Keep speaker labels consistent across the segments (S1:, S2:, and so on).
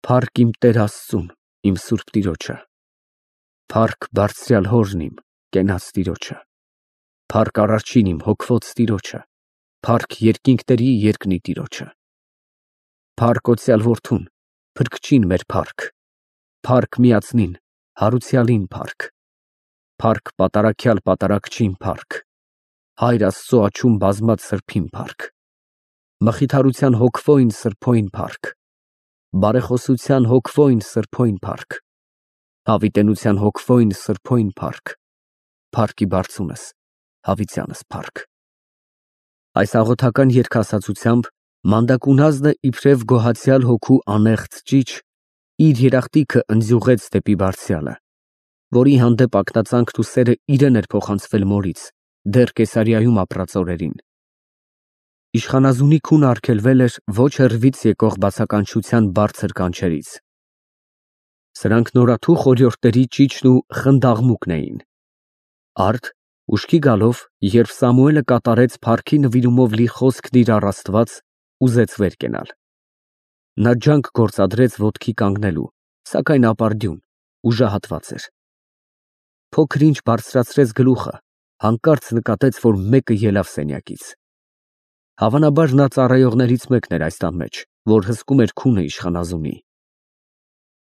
S1: Փառք իմ Տեր Աստծուն, իմ Սուրբ Տիրոջը, փառք Բարձրյալ Հորն իմ, կենաց Տիրոջը, փառք Արարչին իմ, հոգվոց Տիրոջը, փառք երկինքների երկնի Տիրոջը, փառք Օծյալ Որդուն, Փրկչին մեր փառք, փառք Միածնին, Հարուցյալին փառք, փառք Պատարագյալ Պատարագչին փառք, Հայր Աստծո աջում բազմած Սրբին փառք, Մխիթարության հոգվոյն Սրբոյն փառք, Բարեխոսության հոգվոյն Սրբոյն փառք, Հավիտենության հոգվոյն Սրբոյն փառք, փառքի բարձունս, հավիտյանս փառք։ Այս աղոթական երգասացությամբ մանդակունազնը իբրև գոհացյալ հոգու անեղծ ճիչ իր երախտիկը ընձյուղեց դեպի Բարձրյալը, որի հանդեպ ակնածանքն ու սերը իրեն էր փոխանցվել մորից, դեռ Կեսարիայում ապրած օրերին։ Իշխանազունի քունը արգելվել էր ոչ հեռվից եկող բացականչության բարձր կանչերից։ Սրանք նորաթու խորհրդերի ճիչն ու խնդաղմուկն էին։ Արդ ուշքի գալով, երբ Սամուելը կատարեց փառքի նվիրումով լի խոսքն իր առ Աստված, ուզեց վեր կենալ։ Նա ջանք գործադրեց ոտքի կանգնելու, սակայն ապարդյուն, ուժահատված էր։ Փոքր ինչ բարձրացրեց գլուխը, հանկարծ նկատեց, որ մեկը ելավ սենյակից։ Հավանաբար նա ծառայողներից մեկն էր այս տան մեջ, որ հսկում էր քունը իշխանազունի։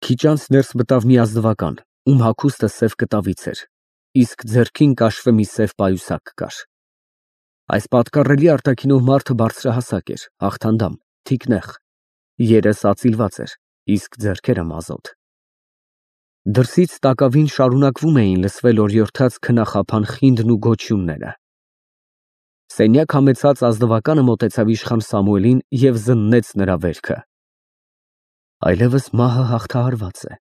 S1: Քիչ անց ներս մտավ մի ազնվական, ում հագուստը սև կտավից էր, իսկ ձեռքին կաշվե մի սև պայուսակ կար։ Այս պատկառելի արտաքինով մարդը բարձրահասակ էր, հաղթանդամ, թիկնեղ, երես ածիլված էր, իսկ ձեռքերը մազոտ։ Դրսից տակավին շարունակվում էին լսվել օրիորդաց քնախափան խինդն ու գոչյունները։ Սենյակ համեցած ազնվականը մոտեցավ իշխան Սամուելին և զննեց նրա վերքը։ Այլևս մահը հաղթահարված է,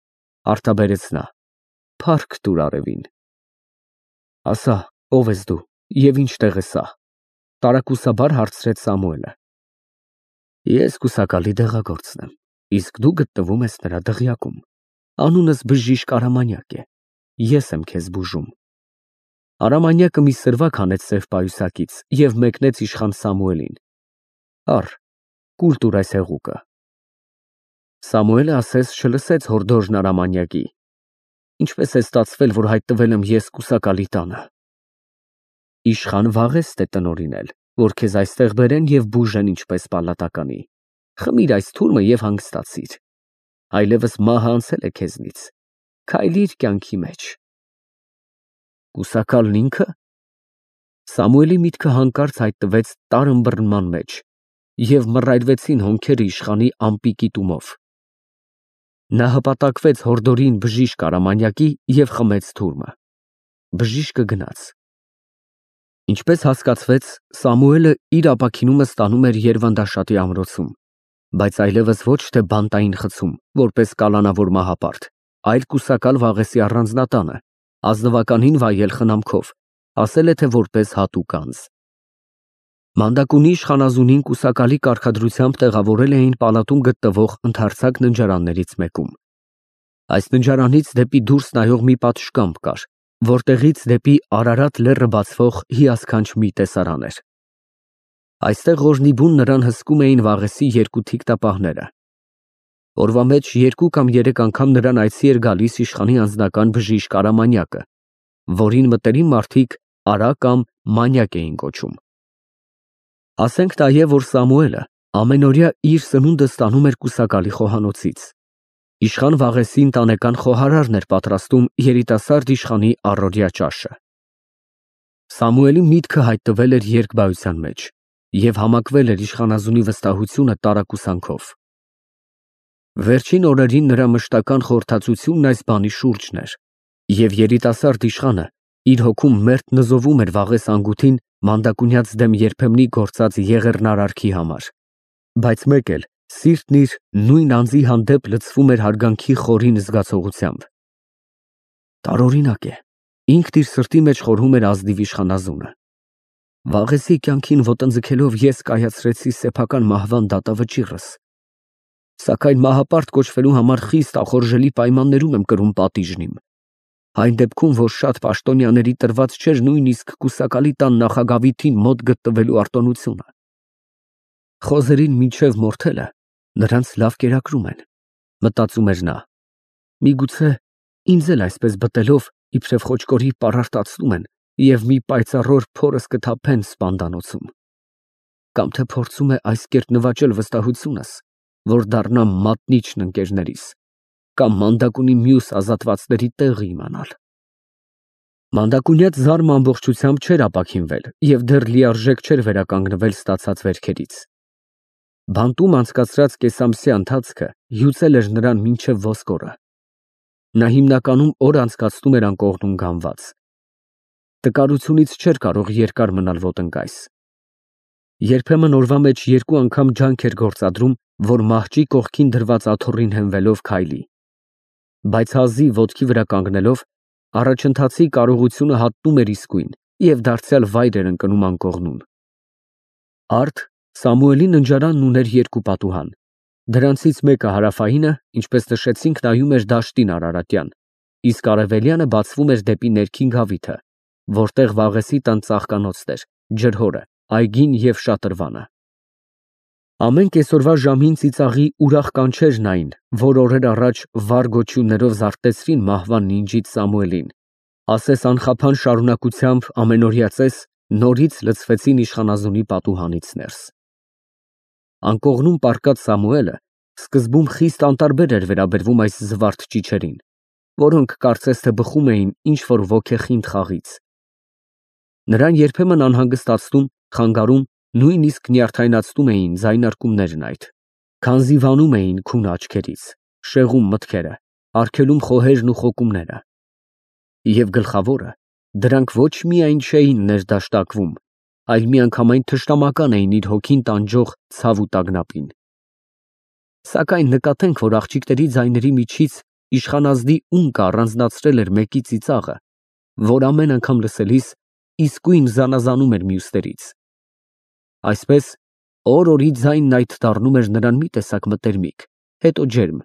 S1: արտաբերեց նա, փառք տուր արևին։ Ասա, ով ես դու և ինչտեղ է սա, տարակուսաբար հարցրեց Սամուելը։ Ես կուսակալի դեղագործն եմ, իսկ դու գտնվում ես նրա դղյակում, անունս բժիշկ Արամանյակ է, ես եմ քեզ բուժում։ Արամանյակը մի սրվակ հանեց սև պայուսակից և մեկնեց իշխան Սամուելին։ Առ, կուլ տուր այս հեղուկը։ Սամուելը ասես չլսեց հորդորն Արամանյակի։ Ինչպես է ստացվել, որ հայտնվել եմ ես կուսակալի տանը։ Իշխան վաղեստ է տնօրինել, որ քեզ այստեղ բերեն և բուժեն ինչպես պալատականի։ Խմիր այս թուրմը և հանգստացիր։ Այլևս մահը անցել է քեզնից, քայլիր կյանքի մեջ։ Կուսակալն ինքը։ Սամուելի միտքը հանկարծ հայտնվեց տար ըմբռնման մեջ և մռայլվեցին հոնքերը իշխանի ամպիկի տումով։ Նա հպատակվեց հորդորին բժիշկ Արամանյակի և խմեց թուրմը։ Բժիշկը գնաց։ Ինչպես հասկացվեց, Սամուելը իր ապաքինումը ստանում էր Երվանդաշատի ամրոցում, բայց այլևս ոչ թե բանտային խցում, որպես կալանավոր մահապարտ, այլ կուսակալ Վաղեսի առանձնատանը, ազնվականին վայել խնամքով, ասել է թե որպես հատուկ անձ։ Մանդակունի իշխանազունին կուսակալի կարգադրությամբ տեղավորել էին պալատում գտնվող ընդարձակ ննջարաններից մեկում։ Այս ննջարանից դեպի դուրս նայող մի պատշգամբ կար, որտեղից դեպի Արարատ լեռը բացվող հիասքանչ մի տեսարան էր։ Այստեղ օրհնիբուն նրան հսկում էին Վաղեսի երկու թիկտապահները։ Օրվա մեջ 2 կամ 3 անգամ նրան այցի էր գալիս իշխանի անձնական բժիշկ Արամանյակը, որին մտերիմ մարդիկ Արա կամ Մանյակ էին կոչում։ Ասենք նաև, որ Սամուելը ամենօրյա իր սնունդը ստանում էր կուսակալի խոհանոցից։ Իշխան Վաղեսի ընտանեկան խոհարարն էր պատրաստում երիտասարդ իշխանի առօրյա ճաշը։ Սամուելի միտքը հայտնվել էր երկբայության մեջ և համակվել էր իշխանազունի վստահությունը տարակուսանքով։ Վերջին օրերին նրա մշտական խորհրդածությունն այս բանի շուրջն էր, և երիտասարդ իշխանը իր հոգում մերթ նզովում էր Վաղես անգութին մանդակունյաց դեմ երբեմնի գործած եղեռնարարքի համար, բայց մեկ էլ սիրտն իր նույն անձի հանդեպ լցվում էր հարգանքի խորին զգացողությամբ։ Տարօրինակ է, ինքն իր սրտի մեջ խորհում էր ազնիվ իշխանազունը։ Վաղեսի կյանքին ոտնձգելով ես կայացրեցի սեփական մահվան դատավճիռս, սակայն մահապարտ կոչվելու համար խիստ ախորժելի պայմաններում եմ կրում պատիժն իմ, այն դեպքում, որ շատ պաշտոնյաների տրված չէր նույնիսկ կուսակալի տան նախագավիթին մոտ գտնվելու արտոնությունը։ Խոզերին մինչև մորթելը նրանց լավ կերակրում են, Մտածում էր նա։ Միգուցե ինձ էլ այսպես բտելով իբրև խոճկորի պարարտացնում են և մի պայծառոր փորս կթափեն սպանդանոցում։ Կամ թե փորձում է այս կերպ նվաճել վստահությունս, որ դառնամ մատնիչն ընկերներիս, կամ մանդակունի մյուս ազատվածների տեղը իմանալ։ Մանդակունյաց զարմը ամբողջությամբ չէր ապաքինվել և դեռ լիարժեք չէր վերականգնվել ստացած վերքերից։ Բանտում անցկացրած կեսամսյա ընթացքը հյուծել էր նրան մինչև ոսկորը։ Նա հիմնականում օր անցկացնում էր անկողնում գանված։ Տկարությունից չէր կարող երկար մնալ ոտնկայս։ Երբեմն օրվա մեջ 2 անգամ ջանք էր գործադրում, որ մահճի կողքին դրված աթոռին հենվելով քայլի։ Բայց հազիվ ոտքի վրա կանգնելով, առաջընթացի կարողությունը հատնում էր իսկույն և դարձյալ վայր էր ընկնում անկողնուն։ Արդ Սամուելի ննջարանն ուներ 2 պատուհան։ Դրանցից մեկը հարավայինը, ինչպես նշեցինք, նայում էր դաշտին Արարատյան, իսկ արևելյանը բացվում էր դեպի ներքին գավիթը, որտեղ Վաղեսի տան ծաղկանոցն էր, ջրհորը, այգին և շատրվանը։ Ամեն կեսօրվա ժամին ծիծաղի ուրախ կանչերն այն, որ օրեր առաջ վառ գոչյուններով զարթեցրին մահվան նինջից Սամուելին, ասես անխափան շարունակությամբ ամենօրյա ծես նորից լցվեցին իշխանազունի պատուհանից ներս։ Անկողնում պառկած Սամուելը սկզբում խիստ անտարբեր էր վերաբերվում այս զվարթ ճիչերին, որոնք կարծես թե բխում էին ինչ-որ ոգեխինդ խաղից։ Նրան երբեմն անհանգստացնում, խանգարում, նույնիսկ նյարդայնացնում էին ձայնարկումներն այդ, քանզի վանում էին քուն աչքերից, շեղում մտքերը, արգելում խոհերն ու խոկումները։ Եվ գլխավորը, դրանք ոչ միայն չէին ներդաշտակվում, այլ միանգամայն թշնամական էին իր հոգին տանջող ցավ ու տագնապին։ Սակայն նկատենք, որ աղջիկների ձայների միջից իշխանազդի ունկը առանձնացրել էր մեկի ծիծաղը, որ ամեն անգամ լսելիս իսկույն զանազանում էր մյուսներից։ Այսպես օր-օրի ձայնն այդ դառնում էր նրան մի տեսակ մտերմիկ, հետո ջերմ,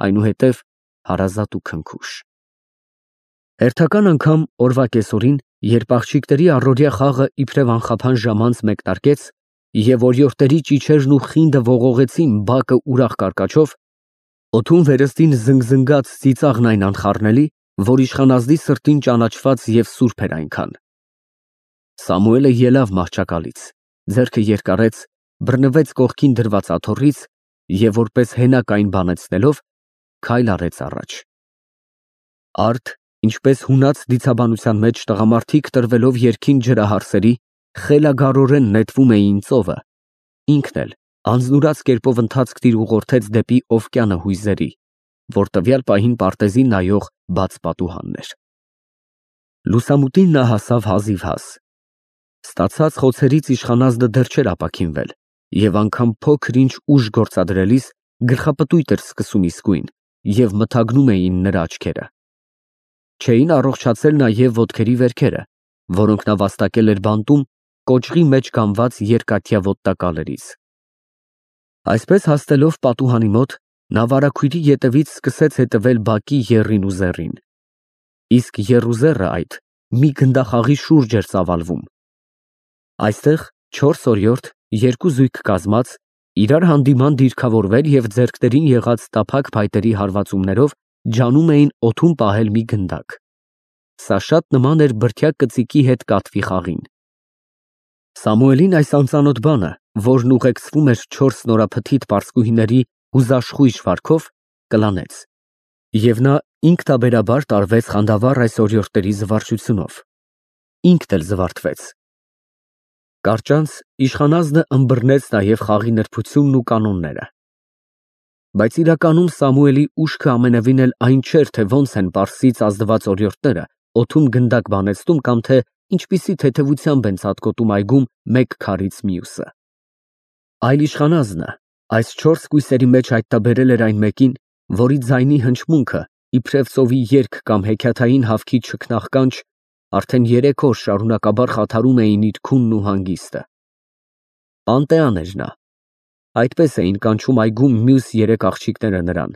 S1: այնուհետև հարազատ ու քնքուշ։ Հերթական անգամ օրվա կեսօրին, երբ աղջիկների առօրյա խաղը իբրև անխափան ժամանց մեկնարկեց, և օրիորդների ճիչերն ու խինդը ողողեցին բակը ուրախ կարկաչով, օդում վերստին զնգզնգաց ծիծաղն այն անխառնելի, որ իշխանազդի սրտին ճանաչված և սուրբ էր այնքան։ Սամուելը ելավ մահճակալից, ձեռքը երկարեց, բռնվեց կողքին դրված աթոռից և որպես հենակ այն բանեցնելով, քայլ արեց առաջ։ Արդ, ինչպես հունած դիցաբանության մեջ տղամարդիկ տրվելով երգին ջրահարսերի, խելագարորեն նետվում էին ծովը, ինքն էլ անձնուրաց կերպով ընթացք տիրուղորդեց դեպի Օվկիանը հույզերի, որ տվյալ պահին պարտեզին նայող բաց պատուհանն էր։ Լուսամուտին նա հասավ հազիվհազ։ Ստացած խոցերից իշխանազդը դեռ չէր ապաքինվել, և անգամ փոքր-ինչ ուժ գործադրելիս գլխապտույտ էր սկսում իսկույն, և մթագնում էին նրա աչքերը։ Չէին առողջացել նաև ոտքերի վերքերը, որոնք նա վաստակել էր բանտում կոճղի մեջ կամված երկաթյա ոտնակալերից։ Այսպես հասնելով պատուհանի մոտ, նա վարագույրի ետևից սկսեց հետևել բակի եռին ու զեռին։ Իսկ եռ ու զեռը այդ մի գնդախաղի շուրջ էր ծավալվում։ Այստեղ 4 օրիորդ, 2 զույգ կազմած, իրար հանդիման դիրքավորվել և ձեռքներին եղած տափակ փայտերի հարվածումներով ջանում էին օդում պահել մի գնդակ։ Սա շատ նման էր բրդյա կծիկի հետ կատվի խաղին։ Սամուելին այս անծանոթ բանը, որն ուղեկցվում էր 4 նորափթիթ պարսկուհիների հուզաշխույժ վարքով, կլանեց, և նա ինքնաբերաբար տարվեց խանդավառ այս օրիորդների զվարճությունով։ Ինքն էլ զվարթվեց։ Կարճանց իշխանազդը ըմբռնեց նաև խաղի նրբությունն ու կանոնները։ Բայց իրականում Սամուելի ուշքը ամենևին էլ այն չէր, թե ոնց են պարսից ազդված օրիորդները օդում գնդակ բանեցնում կամ թե ինչպիսի թեթևությամբ են ցատկոտում այգում մեկ քարից մյուսը։ Այլ իշխանազնը այս 4 կույսերի մեջ հայտնաբերել էր այն մեկին, որի ձայնի հնչմունքը, իբրև ծովի երգ կամ հեքիաթային հավքի չքնաղ կանչ, արդեն 3 օր շարունակաբար խաթարում էին իր քունն ու հանգիստը։ Պանտեան էր նա։ Այդպես էին կանչում այգում մյուս 3 աղջիկները նրան,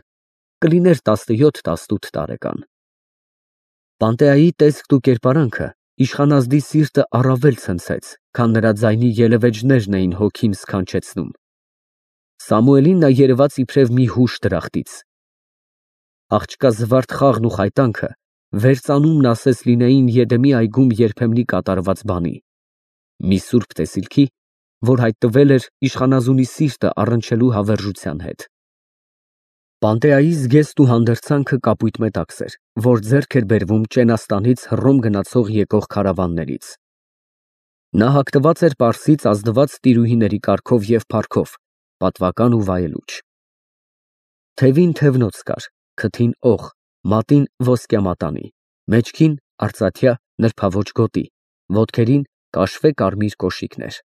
S1: կլիներ 17-18 տարեկան։ Պանտեայի տեսքն ու կերպարանքը իշխանազդի սիրտը առավել ցնցեց, քան նրա ձայնի ելևէջներն էին հոգին սքանչեցնում։ Սամուելին նա երևաց իբրև մի հուշ դրախտից, աղջկա զվարթ խաղն ու խայտանքը վերծանումն ասես լինեին Եդեմի այգում երբեմնի կատարված բանի, մի սուրբ տեսիլքի, որ հայտնվել էր իշխանազունի սիրտը առնչելու հավերժության հետ։ Պանտեայի զգեստ ու հանդերձանքը կապույտ մետաքս էր, որ ձեռք էր բերվում Ճենաստանից Հռոմ գնացող եկող քարավաններից։ Նա հագնված էր պարսից ազնված տիրուհիների կարգով և փառքով, պատվական ու վայելուչ։ Թևին թևնոց կար, քթին օղ, մատին ոսկյա մատանի, մեջքին արծաթյա նրբաոճ գոտի, ոտքերին կաշվե կարմիր կոշիկներ։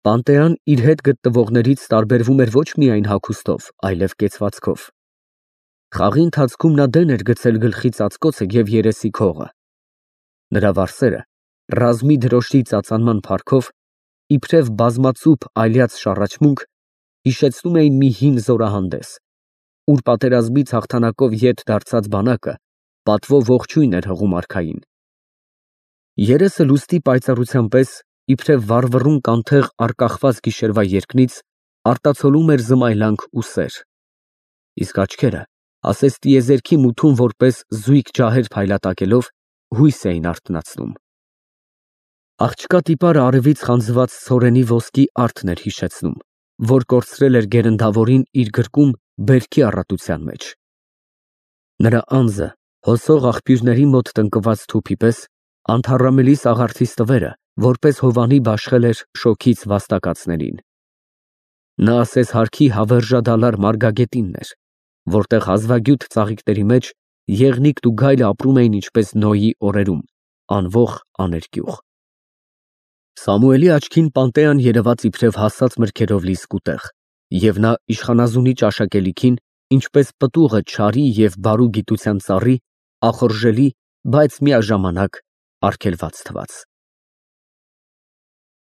S1: Պանտեան իր հետ գտնվողներից տարբերվում էր ոչ միայն հագուստով, այլև կեցվածքով։ Խաղի ընթացքում նա դեն էր գցել գլխի ծածկոցը և երեսի քողը։ Նրա վարսերը ռազմի դրոշի ծածանման փառքով, իբրև բազմածուփ այլյաց շառաչմունք, հիշեցնում էին մի հին զորահանդես, ուր պատերազմից հաղթանակով ետ դարձած բանակը պատվո ողջույն էր հղում արքային։ Երեսը լուստի պայծառության պես, իբրև վառվռուն կանթեղ արկախված գիշերվա երկնից, արտացոլում էր զմայլանք ու սեր, իսկ աչքերը, ասես տիեզերքի մութում որպես զույգ ջահեր փայլատակելով, հույս էին արթնացնում։ Աղջկա տիպարը արևից խանձված ցորենի ոսկի արդն էր հիշեցնում, որ կորցրել էր գերնդավորին իր գրկում բերքի առատության մեջ։ Նրա անձը, հոսող աղբյուրների մոտ տնկված թուփի պես, անթառամելի սաղարթի ստվերը, որպես հովանի բաշխել էր շոգից վաստակածներին։ Նա ասես հարքի հավերժադալար մարգագետինն էր, որտեղ հազվագյուտ ծաղիկների մեջ եղնիկն ու գայլը ապրում էին ինչպես Նոյի օրերում, անվող աներկյուղ։ Սամուելի աչքին Պանտեան երևաց իբրև հասած մրգերով լի սկուտեղ, և նա իշխանազունի ճաշակելիքին, ինչպես պտուղը չարի և բարու գիտության ծառի, ախորժելի, բայց միաժամանակ արգելված թվաց։